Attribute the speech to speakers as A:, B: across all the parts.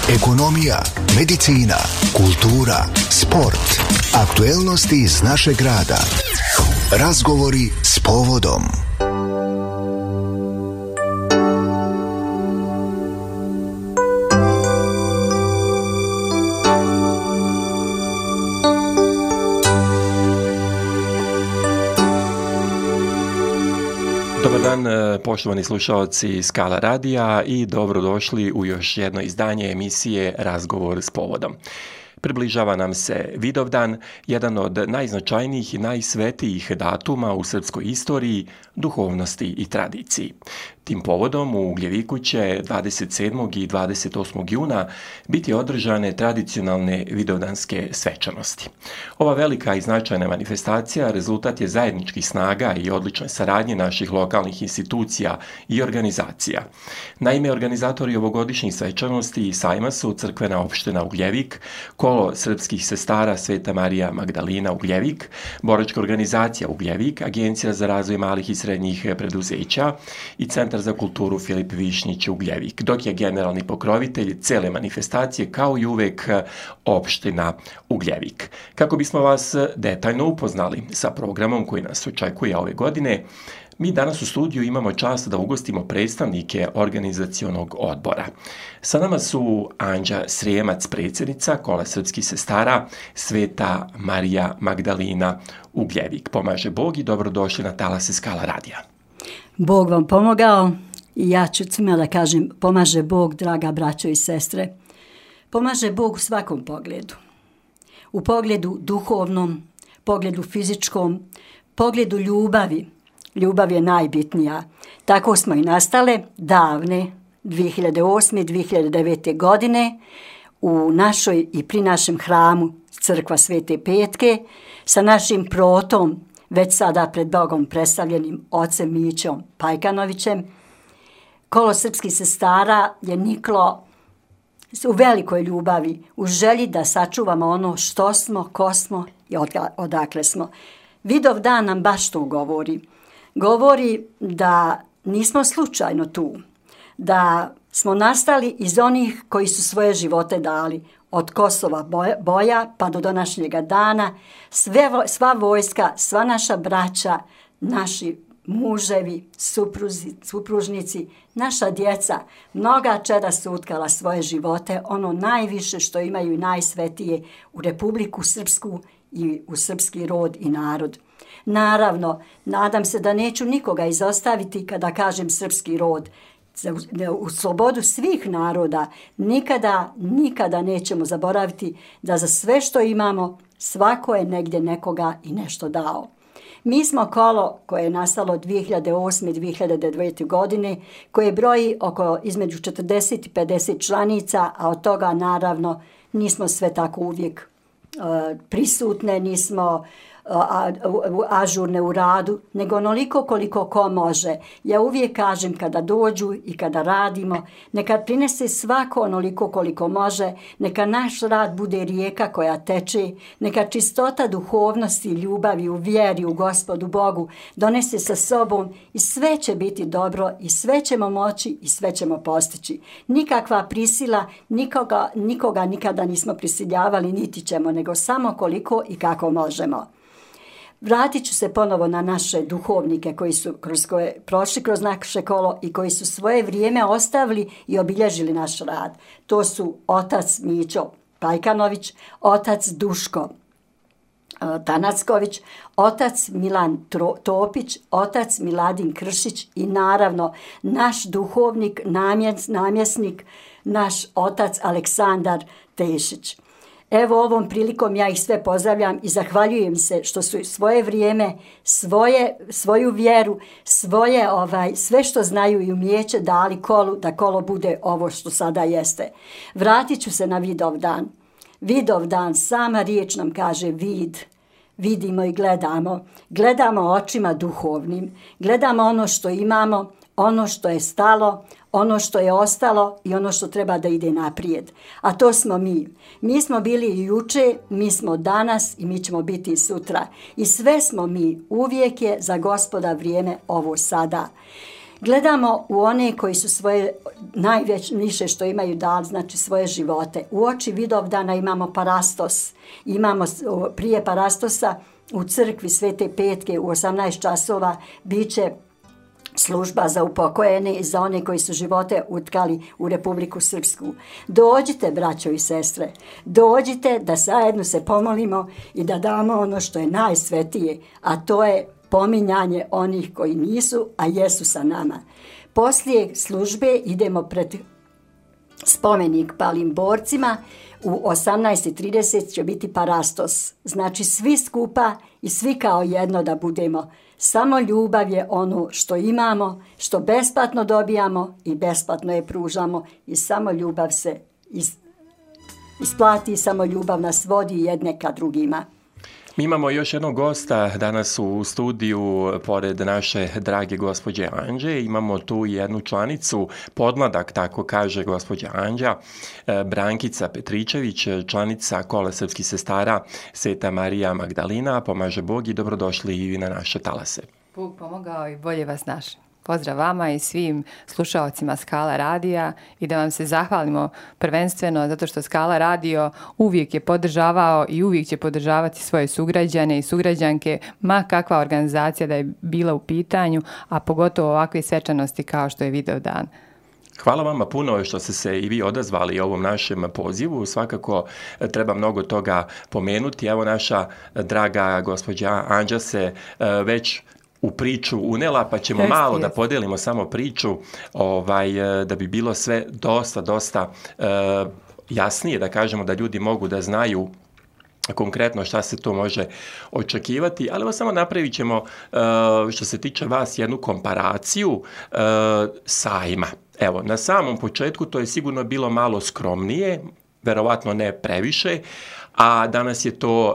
A: Ekonomija, medicina, kultura, sport, aktuelnosti iz našeg grada. Razgovori s povodom.
B: Dobar dan, poštovani slušalci Skala radija i dobrodošli u još jedno izdanje emisije Razgovor s povodom. Približava nam se Vidovdan, jedan od najznačajnijih i najsvetijih datuma u srpskoj istoriji, duhovnosti i tradiciji. Tim povodom u Ugljeviku će 27. i 28. juna biti održane tradicionalne vidovdanske svečanosti. Ova velika i značajna manifestacija rezultat je zajedničkih snaga i odlične saradnje naših lokalnih institucija i organizacija. Naime, organizatori ovogodišnjih svečanosti i sajma su crkvena opština Ugljevik, Kolo srpskih sestara Sveta Marija Magdalina Ugljevik, boračka organizacija Ugljevik, Agencija za razvoj malih i srednjih preduzeća i Centar za kulturu Filip Višnjić Ugljevik, dok je generalni pokrovitelj cele manifestacije kao i uvek opština Ugljevik. Kako bismo vas detaljno upoznali sa programom koji nas očekuje ove godine, mi danas u studiju imamo čast da ugostimo predstavnike organizacionog odbora. Sa nama su Anđa Srijemac, predsjednica Kola srpskih sestara Sveta Marija Magdalina Ugljevik. Pomaže Bog i dobrodošli na talase Skala radija.
C: Bog vam pomogao i ja ću svima da kažem pomaže Bog, draga braćo i sestre. Pomaže Bog u svakom pogledu. U pogledu duhovnom, pogledu fizičkom, pogledu ljubavi. Ljubav je najbitnija. Tako smo i nastale davne 2008. 2009. godine u našoj i pri našem hramu Crkva Svete Petke sa našim protom, već sada pred Bogom predstavljenim ocem Mićom Pajkanovićem. Kolo srpskih sestara je niklo u velikoj ljubavi, u želji da sačuvamo ono što smo, ko smo i odakle smo. Vidovdan nam baš to govori. Govori da nismo slučajno tu, da smo nastali iz onih koji su svoje živote dali, od Kosova boja pa do današnjega dana, sva vojska, sva naša braća, naši muževi, supružnici, naša djeca, mnoga čeda su utkala svoje živote, ono najviše što imaju i najsvetije u Republiku Srpsku i u srpski rod i narod. Naravno, nadam se da neću nikoga izostaviti kada kažem srpski rod. U slobodu svih naroda nikada nećemo zaboraviti da za sve što imamo svako je negdje nekoga i nešto dao. Mi smo kolo koje je nastalo 2008. i 2009. godine, koje broji između 40 i 50 članica, a od toga naravno nismo sve tako uvijek prisutne, nismo ažurne u radu, nego onoliko koliko ko može. Ja uvijek kažem kada dođu i kada radimo, neka prinese svako onoliko koliko može, neka naš rad bude rijeka koja teče, neka čistota duhovnosti i ljubavi u vjeri u Gospodu Bogu donese sa sobom i sve će biti dobro i sve ćemo moći i sve ćemo postići. Nikakva prisila, nikoga nikada nismo prisiljavali, niti ćemo, nego samo koliko i kako možemo. Vratit ću se ponovo na naše duhovnike koji su prošli kroz naše kolo i koji su svoje vrijeme ostavili i obilježili naš rad. To su otac Mićo Pajkanović, otac Duško Tanacković, otac Milan Topić, otac Miladin Kršić i naravno naš duhovnik, namjesnik, naš otac Aleksandar Tešić. Evo ovom prilikom ja ih sve pozdravljam i zahvaljujem se što su svoje vrijeme, svoju vjeru, sve što znaju i umijeće dali kolu, da kolo bude ovo što sada jeste. Vratit ću se na Vidovdan. Vidovdan, sama riječ nam kaže vid. Vidimo i gledamo. Gledamo očima duhovnim. Gledamo ono što imamo, ono što je stalo, ono što je ostalo i ono što treba da ide naprijed. A to smo mi. Mi smo bili i juče, mi smo danas i mi ćemo biti i sutra. I sve smo mi. Uvijek je za Gospoda vrijeme ovo sada. Gledamo u one koji su svoje najviše što imaju dali, znači svoje živote. U oči Vidovdana imamo parastos. Imamo prije parastosa u crkvi Svete Petke u 18 časova biće služba za upokojene i za one koji su živote utkali u Republiku Srpsku. Dođite, braćo i sestre, dođite da zajedno se pomolimo i da damo ono što je najsvetije, a to je pominjanje onih koji nisu, a jesu sa nama. Poslije službe idemo pred spomenik palim borcima. U 18:30 će biti parastos. Znači svi skupa i svi kao jedno da budemo. Samo ljubav je ono što imamo, što besplatno dobijamo i besplatno je pružamo i samo ljubav se isplati, samo ljubav nas vodi jedne ka drugima.
B: Mi imamo još jednog gosta danas u studiju, pored naše drage gospođe Anđe. Imamo tu jednu članicu, podmladak, tako kaže gospođa Anđa, Brankica Petričević, članica Kola srpskih sestara Sveta Marija Magdalina. Pomaže Bog i dobrodošli i vi na naše talase.
D: Bog pomogao i bolje vas našli. Pozdrav vama i svim slušaocima Skala radija i da vam se zahvalimo prvenstveno zato što Skala radio uvijek je podržavao i uvijek će podržavati svoje sugrađane i sugrađanke, ma kakva organizacija da je bila u pitanju, a pogotovo ovakve svečanosti kao što je Vidovdan.
B: Hvala vama puno što ste se i vi odazvali ovom našem pozivu. Svakako treba mnogo toga pomenuti. Evo naša draga gospođa Anđa se već u priču unela, pa ćemo malo da podelimo samo priču da bi bilo sve dosta jasnije, da kažemo da ljudi mogu da znaju konkretno šta se to može očekivati, ali samo napravit ćemo što se tiče vas jednu komparaciju sajma. Evo, na samom početku to je sigurno bilo malo skromnije, verovatno ne previše, a danas je to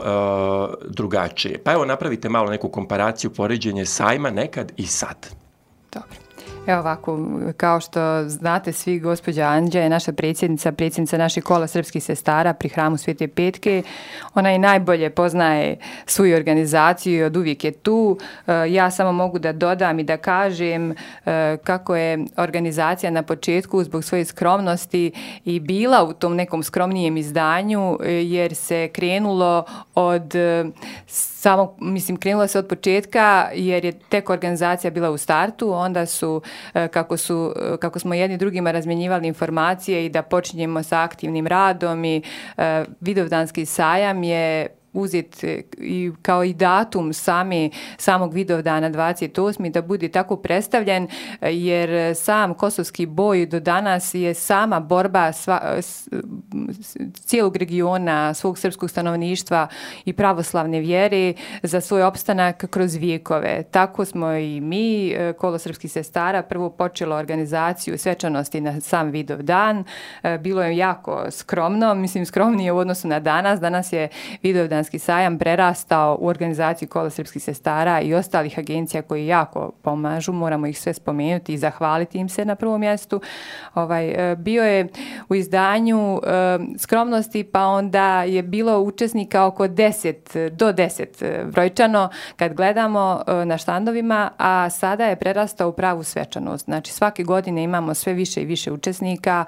B: drugačije. Pa evo, napravite malo neku komparaciju, poređenje sajma nekad i sad.
D: Dobro. Evo ovako, kao što znate svi, gospođa Anđa je naša predsjednica naših Kola srpskih sestara pri hramu Svete Petke. Ona i najbolje poznaje svoju organizaciju i od uvijek je tu. Ja samo mogu da dodam i da kažem kako je organizacija na početku zbog svoje skromnosti i bila u tom nekom skromnijem izdanju, jer se krenulo krenulo se od početka jer je tek organizacija bila u startu, onda su kako smo jedni drugima razmjenjivali informacije i da počinjemo sa aktivnim radom i Vidovdanski sajam je uzet i kao i datum samog Vidovdana 28. da bude tako predstavljen, jer sam kosovski boj do danas je sama borba cijelog regiona, svog srpskog stanovništva i pravoslavne vjere za svoj opstanak kroz vijekove. Tako smo i mi, Kolo srpskih sestara, prvo počelo organizaciju svečanosti na sam Vidovdan. Bilo je jako skromno, skromnije u odnosu na danas. Danas je Vidovdan sajam prerastao u organizaciju Kola srpskih sestara i ostalih agencija koji jako pomažu, moramo ih sve spomenuti i zahvaliti im se na prvom mjestu. Bio je u izdanju skromnosti, pa onda je bilo učesnika oko 10 brojčano kad gledamo na štandovima, a sada je prerastao u pravu svečanost. Znači svake godine imamo sve više i više učesnika,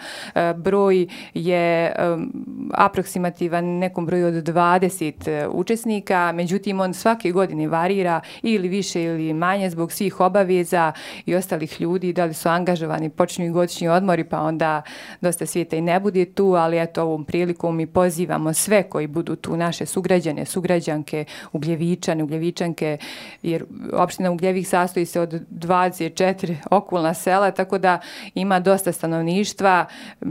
D: broj je aproksimativan nekom broju od 20 učesnika, međutim on svake godine varira ili više ili manje zbog svih obaveza i ostalih ljudi, da li su angažovani, počinju i godišnji odmori, pa onda dosta svijeta i ne bude tu, ali eto ovom prilikom mi pozivamo sve koji budu tu, naše sugrađane, sugrađanke, Ugljevičanke, jer opština Ugljevik sastoji se od 24 okolna sela, tako da ima dosta stanovništva,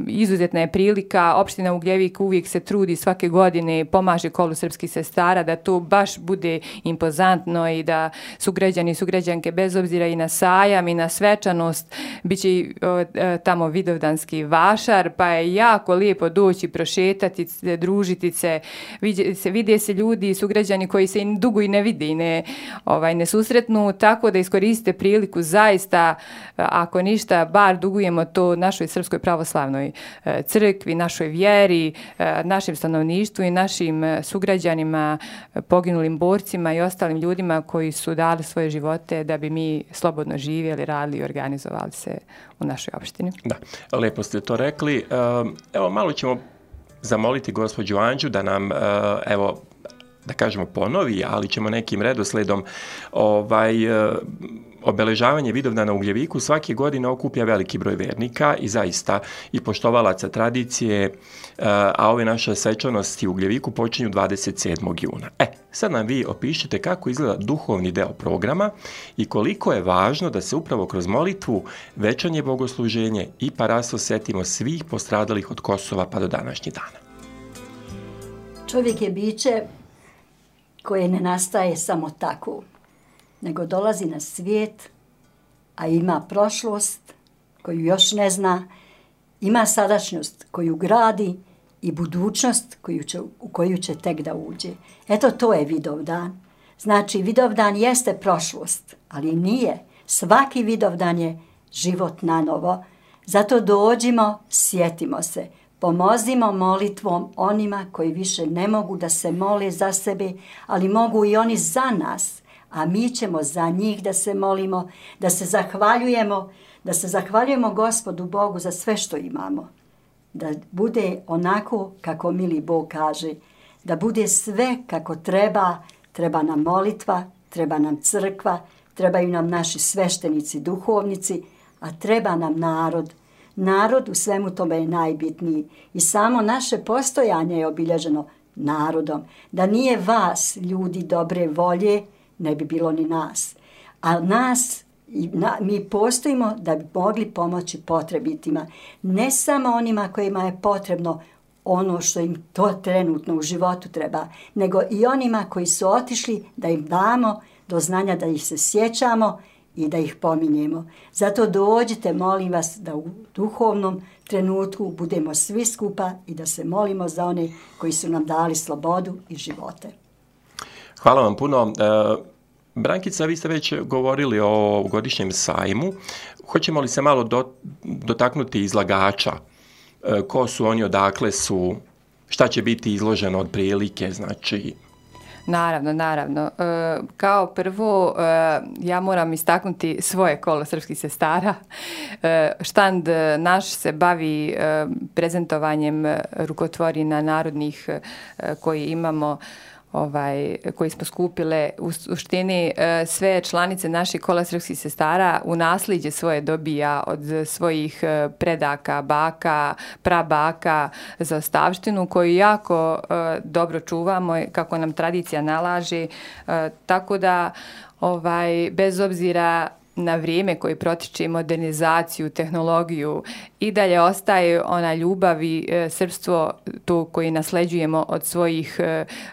D: izuzetna je prilika. Opština Ugljevik uvijek se trudi svake godine, pomaže Kolu srpskih sestara da to baš bude impozantno i da sugrađani i sugrađanke bez obzira i na sajam i na svečanost bit će tamo Vidovdanski vašar, pa je jako lijepo doći, prošetati se, družiti se, vide se ljudi i sugrađani koji se dugo i ne vide i ne susretnu, tako da iskoristite priliku zaista, ako ništa, bar dugujemo to našoj Srpskoj pravoslavnoj crkvi, našoj vjeri, našem stanovništvu i našim sugrađanima sugrađanima, poginulim borcima i ostalim ljudima koji su dali svoje živote da bi mi slobodno živjeli, radili i organizovali se u našoj opštini.
B: Da, lijepo ste to rekli. Evo, malo ćemo zamoliti gospođu Anđu da nam, evo, da kažemo ponovi, ali ćemo nekim redosledom obeležavanje Vidovdana u Ugljeviku svake godine okuplja veliki broj vernika i zaista i poštovalaca tradicije, a ove naše svečanosti u Ugljeviku počinju 27. juna. Sad nam vi opišite kako izgleda duhovni deo programa i koliko je važno da se upravo kroz molitvu, večernje bogosluženje i parasto setimo svih postradalih od Kosova pa do današnjih dana.
C: Čovjek je biće koje ne nastaje samo tako, nego dolazi na svijet, a ima prošlost koju još ne zna, ima sadašnjost koju gradi i budućnost u koju će tek da uđe. Eto, to je Vidovdan. Znači, Vidovdan jeste prošlost, ali nije. Svaki Vidovdan je život na novo. Zato dođimo, sjetimo se, pomozimo molitvom onima koji više ne mogu da se mole za sebe, ali mogu i oni za nas. A mi ćemo za njih da se molimo, da se zahvaljujemo Gospodu Bogu za sve što imamo. Da bude onako kako mili Bog kaže, da bude sve kako treba nam molitva, treba nam crkva, trebaju nam naši sveštenici, duhovnici, a treba nam narod. Narod u svemu tome je najbitniji i samo naše postojanje je obilježeno narodom. Da nije vas, ljudi dobre volje, ne bi bilo ni nas. A mi postojimo da bi mogli pomoći potrebitima. Ne samo onima kojima je potrebno ono što im to trenutno u životu treba, nego i onima koji su otišli da im damo do znanja da ih se sjećamo i da ih pominjemo. Zato dođite, molim vas, da u duhovnom trenutku budemo svi skupa i da se molimo za one koji su nam dali slobodu i živote.
B: Hvala vam puno. Brankica, vi ste već govorili o godišnjem sajmu. Hoćemo li se malo dotaknuti izlagača? Ko su oni, odakle su, šta će biti izloženo od prilike, znači...
D: Naravno. Kao prvo, ja moram istaknuti svoje kolo srpskih sestara. Štand naš se bavi prezentovanjem rukotvorina narodnih koji imamo, koji smo skupile. U suštini sve članice naših kola srpskih sestara u nasljeđe svoje dobija od svojih predaka, baka, prabaka za ostavštinu koju jako dobro čuvamo kako nam tradicija nalaže. Tako da bez obzira na vrijeme koje protiče, modernizaciju, tehnologiju, i dalje ostaje ona ljubav i srpstvo to koje nasleđujemo od svojih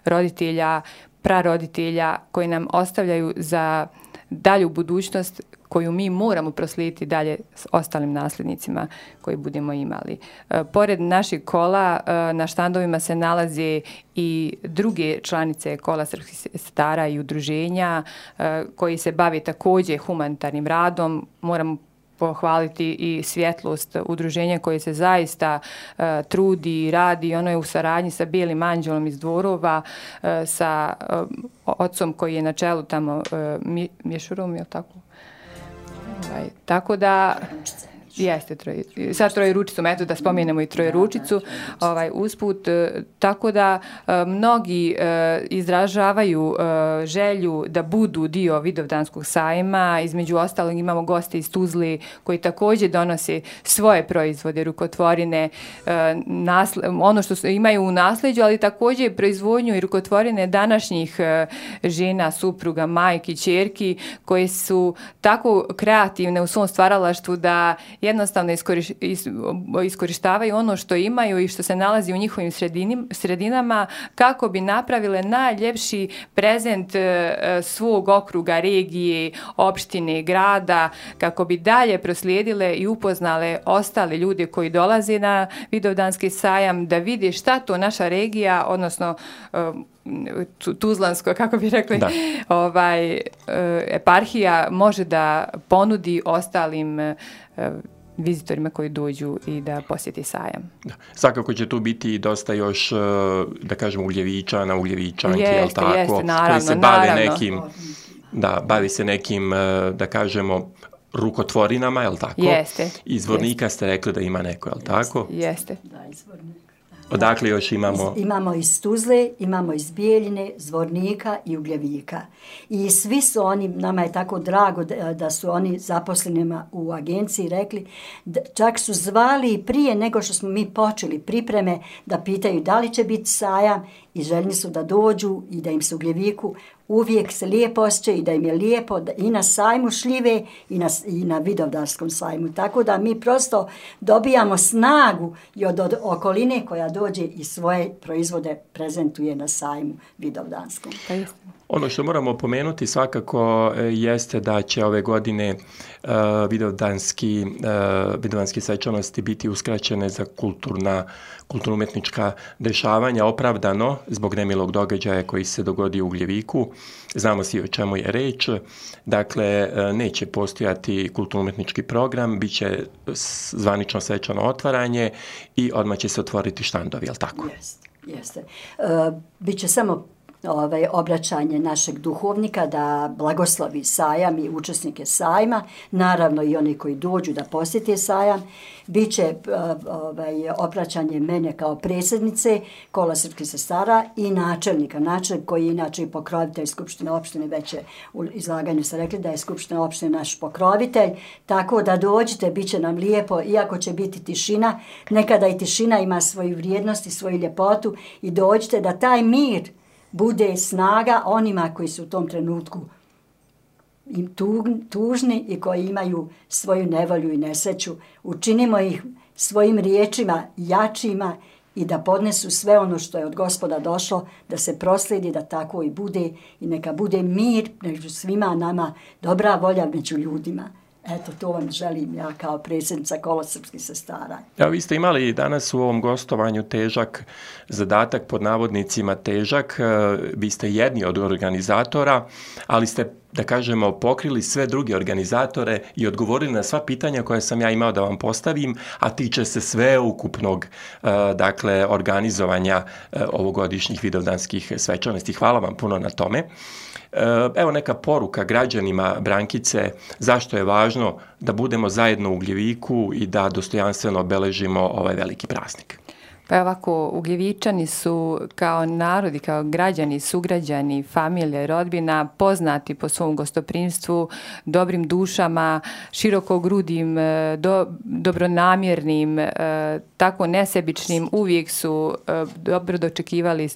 D: roditelja, praroditelja, koji nam ostavljaju za dalju budućnost koju mi moramo proslijediti dalje s ostalim nasljednicima koji budemo imali. Pored naših kola, na štandovima se nalaze i druge članice kola srpskih sestara i udruženja koji se bave također humanitarnim radom. Moramo pohvaliti i svjetlost udruženja koje se zaista trudi i radi. Ono je u saradnji sa Bijelim anđelom iz Dvorova, sa ocom koji je na čelu tamo, Mješurom, je li tako? Tako da... Jeste, sad Trojeručicom, eto da spomenemo i Trojeručicu usput, tako da mnogi izražavaju želju da budu dio Vidovdanskog sajma. Između ostalog imamo goste iz Tuzle koji također donose svoje proizvode, rukotvorine, ono što imaju u nasljeđu, ali također proizvodnju i rukotvorine današnjih žena, supruga, majki, ćerki, koje su tako kreativne u svom stvaralaštvu da jednostavno iskorištavaju ono što imaju i što se nalazi u njihovim sredinama kako bi napravile najljepši prezent svog okruga, regije, opštine, grada, kako bi dalje proslijedile i upoznale ostale ljude koji dolaze na Vidovdanski sajam, da vide šta to naša regija, odnosno Tuzlansko, kako bi rekli, eparhija može da ponudi ostalim vizitorima koji dođu i da posjeti sajam.
B: Da. Svakako će tu biti dosta još, da kažemo, ugljevičana, ugljevičanki, jel tako?
D: Jeste, naravno,
B: koji se bave nekim, bavi se nekim, da kažemo, rukotvorinama, jel tako?
D: Jeste.
B: Iz Zvornika ste rekli da ima neko, jel tako?
D: Jeste.
C: Da, iz Zvornika.
B: Odakle još imamo?
C: Imamo iz Tuzle, imamo iz Bijeljine, Zvornika i Ugljevika. I svi su oni, nama je tako drago da su oni zaposlenima u agenciji rekli, čak su zvali prije nego što smo mi počeli pripreme da pitaju da li će biti sajam i željni su da dođu i da im se u Ugljeviku uvijek se lijepo osjeća i da im je lijepo i na sajmu šljive i na Vidovdanskom sajmu. Tako da mi prosto dobijamo snagu i od okoline koja dođe i svoje proizvode prezentuje na sajmu Vidovdanskom.
B: Ono što moramo pomenuti svakako jeste da će ove godine vidovdanske svečanosti biti uskraćene za kulturno-umjetnička dešavanja, opravdano zbog nemilog događaja koji se dogodio u Ugljeviku. Znamo svi o čemu je reč. Dakle, neće postojati kulturno-umjetnički program, bit će zvanično svečano otvaranje i odmah će se otvoriti štandovi, jel tako?
C: Jeste. Biće samo obraćanje našeg duhovnika da blagoslovi sajam i učesnike sajma, naravno i oni koji dođu da posjete sajam. Biće obraćanje mene kao predsjednice Kola srpskih sestara i načelnik koji je inače i pokrovitelj Skupštine opštine, već je u izlaganju se rekli da je Skupština opštine naš pokrovitelj, tako da dođite, bit će nam lijepo, iako će biti tišina, nekada i tišina ima svoju vrijednost i svoju ljepotu i dođite da taj mir bude snaga onima koji su u tom trenutku tužni i koji imaju svoju nevolju i nesreću. Učinimo ih svojim riječima jačima i da podnesu sve ono što je od Gospoda došlo, da se proslijedi, da tako i bude i neka bude mir među svima nama, dobra volja među ljudima. Eto, to vam želim ja kao predsjednica Kola srpskih sestara.
B: Evo, vi ste imali danas u ovom gostovanju težak zadatak, pod navodnicima težak. Vi ste jedni od organizatora, ali ste, da kažemo, pokrili sve druge organizatore i odgovorili na sva pitanja koja sam ja imao da vam postavim, a tiče se sveukupnog, dakle, organizovanja ovogodišnjih vidovdanskih svečanosti. Hvala vam puno na tome. Evo neka poruka građanima Brankice, zašto je važno da budemo zajedno u Ugljeviku i da dostojanstveno obeležimo ovaj veliki praznik.
D: Pa ovako, Ugljevičani su kao narodi, kao građani, sugrađani, familije, rodbina, poznati po svom gostoprimstvu, dobrim dušama, širokogrudim, dobronamjernim, tako nesebičnim. Uvijek su dobro dočekivali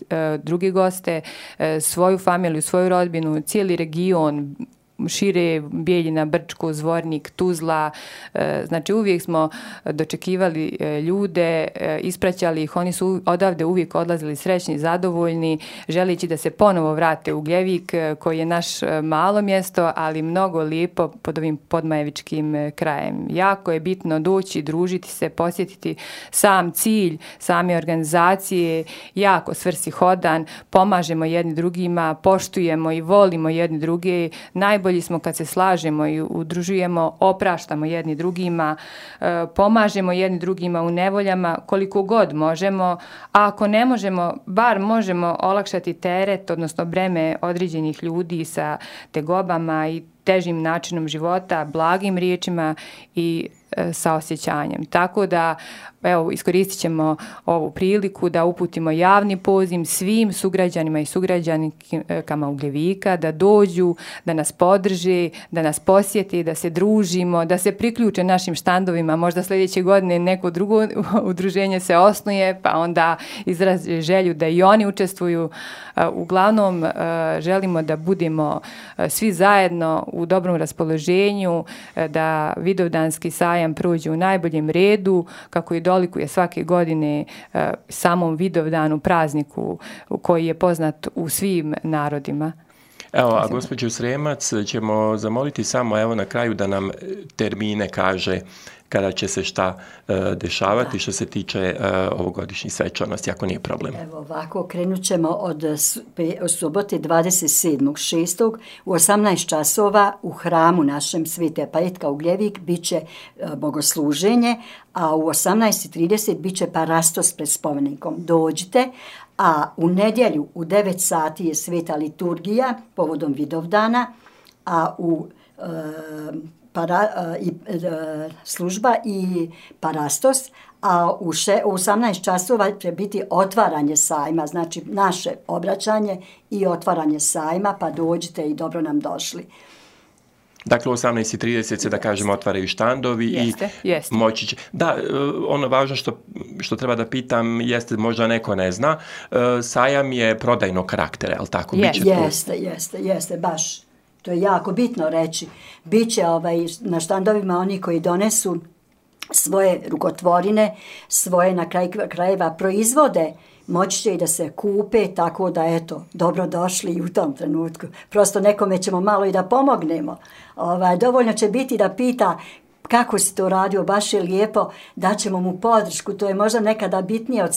D: druge goste, svoju familiju, svoju rodbinu, cijeli region, šire Bijeljina, Brčko, Zvornik, Tuzla, znači uvijek smo dočekivali ljude, ispraćali ih, oni su odavde uvijek odlazili srećni, zadovoljni, želeći da se ponovo vrate u Ugljevik, koji je naš malo mjesto, ali mnogo lijepo pod ovim podmajevičkim krajem. Jako je bitno doći, družiti se, posjetiti sam cilj, same organizacije, jako svrsishodan, pomažemo jedni drugima, poštujemo i volimo jedni druge, najbolji smo kad se slažemo i udružujemo, opraštamo jedni drugima, pomažemo jedni drugima u nevoljama koliko god možemo, a ako ne možemo, bar možemo olakšati teret, odnosno breme određenih ljudi sa tegobama i težim načinom života, blagim riječima i sa osjećanjem. Tako da, evo, iskoristit ćemo ovu priliku da uputimo javni poziv svim sugrađanima i sugrađankama Ugljevika da dođu, da nas podrže, da nas posjeti, da se družimo, da se priključe našim štandovima. Možda sljedeće godine neko drugo udruženje se osnuje, pa onda izraze želju da i oni učestvuju. Uglavnom, želimo da budemo svi zajedno u dobrom raspoloženju, da Vidovdanski sajam prođe u najboljem redu, kako i dolikuje svake godine samom Vidovdanu, prazniku koji je poznat u svim narodima.
B: Evo, a gospođu Sremac ćemo zamoliti samo evo na kraju da nam termine kaže kada će se šta dešavati što se tiče ovogodišnjih svečanosti, ako nije problem.
C: Evo ovako, krenut ćemo od subote 27.6. u 18 časova u hramu našem Svete Petka Ugljevik bit će bogosluženje, a u 18.30 bit će parastos pred spomenikom. Dođite, a u nedjelju u 9 sati je sveta liturgija povodom Vidovdana, a u služba i parastos, a u 18 časova će biti otvaranje sajma, znači naše obraćanje i otvaranje sajma, pa dođite i dobro nam došli.
B: Dakle, u 18.30 se, da kažemo, otvaraju štandovi i moći će... Da, ono važno što treba da pitam jeste, možda neko ne zna, sajam je prodajnog karaktera, je li tako?
C: Jeste, baš. To je jako bitno reći. Biće na štandovima oni koji donesu svoje rukotvorine, svoje na krajeva proizvode, moći će i da se kupe, tako da eto, dobro došli i u tom trenutku. Prosto nekome ćemo malo i da pomognemo. Dovoljno će biti da pita kako si to radio, baš je lijepo, daćemo mu podršku. To je možda nekada bitnije od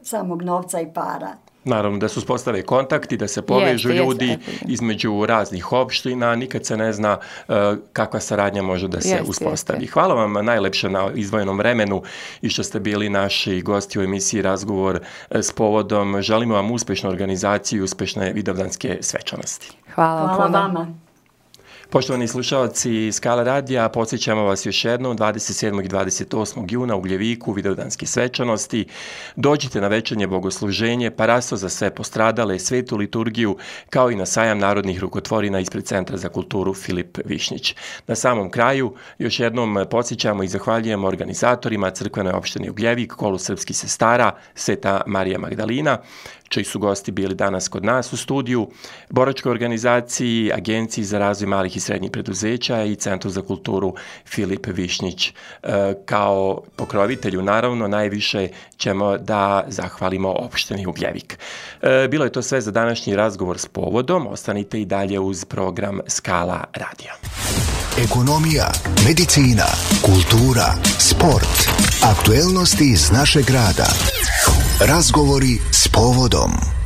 C: samog novca i para.
B: Naravno, da se uspostave kontakti, da se povežu ljudi između raznih opština, nikad se ne zna kakva saradnja može da se uspostavi. Hvala vam najlepše na izdvojenom vremenu i što ste bili naši gosti u emisiji Razgovor s povodom. Želimo vam uspešnu organizaciju i uspešne vidovdanske svečanosti.
C: Hvala vama.
B: Poštovani slušalci Skala radija, podsjećamo vas još jednom 27. i 28. juna u Gljeviku Vidovdanske svečanosti. Dođite na večernje bogosluženje, parastos za sve postradale, svetu liturgiju, kao i na sajam narodnih rukotvorina ispred Centra za kulturu Filip Višnjić. Na samom kraju još jednom podsjećamo i zahvaljujemo organizatorima Crkvene opštine Ugljevik, Kolu srpskih sestara, Sveta Marija Magdalina, čiji su gosti bili danas kod nas u studiju, boračkoj organizaciji, Agenciji za razvoj malih i srednjih preduzeća i Centru za kulturu Filip Višnjić. Kao pokrovitelju, naravno, najviše ćemo da zahvalimo opštini Ugljevik. Bilo je to sve za današnji razgovor s povodom. Ostanite i dalje uz program Skala radija.
A: Ekonomija, medicina, kultura, sport, aktuelnosti iz našeg grada. Razgovori s povodom.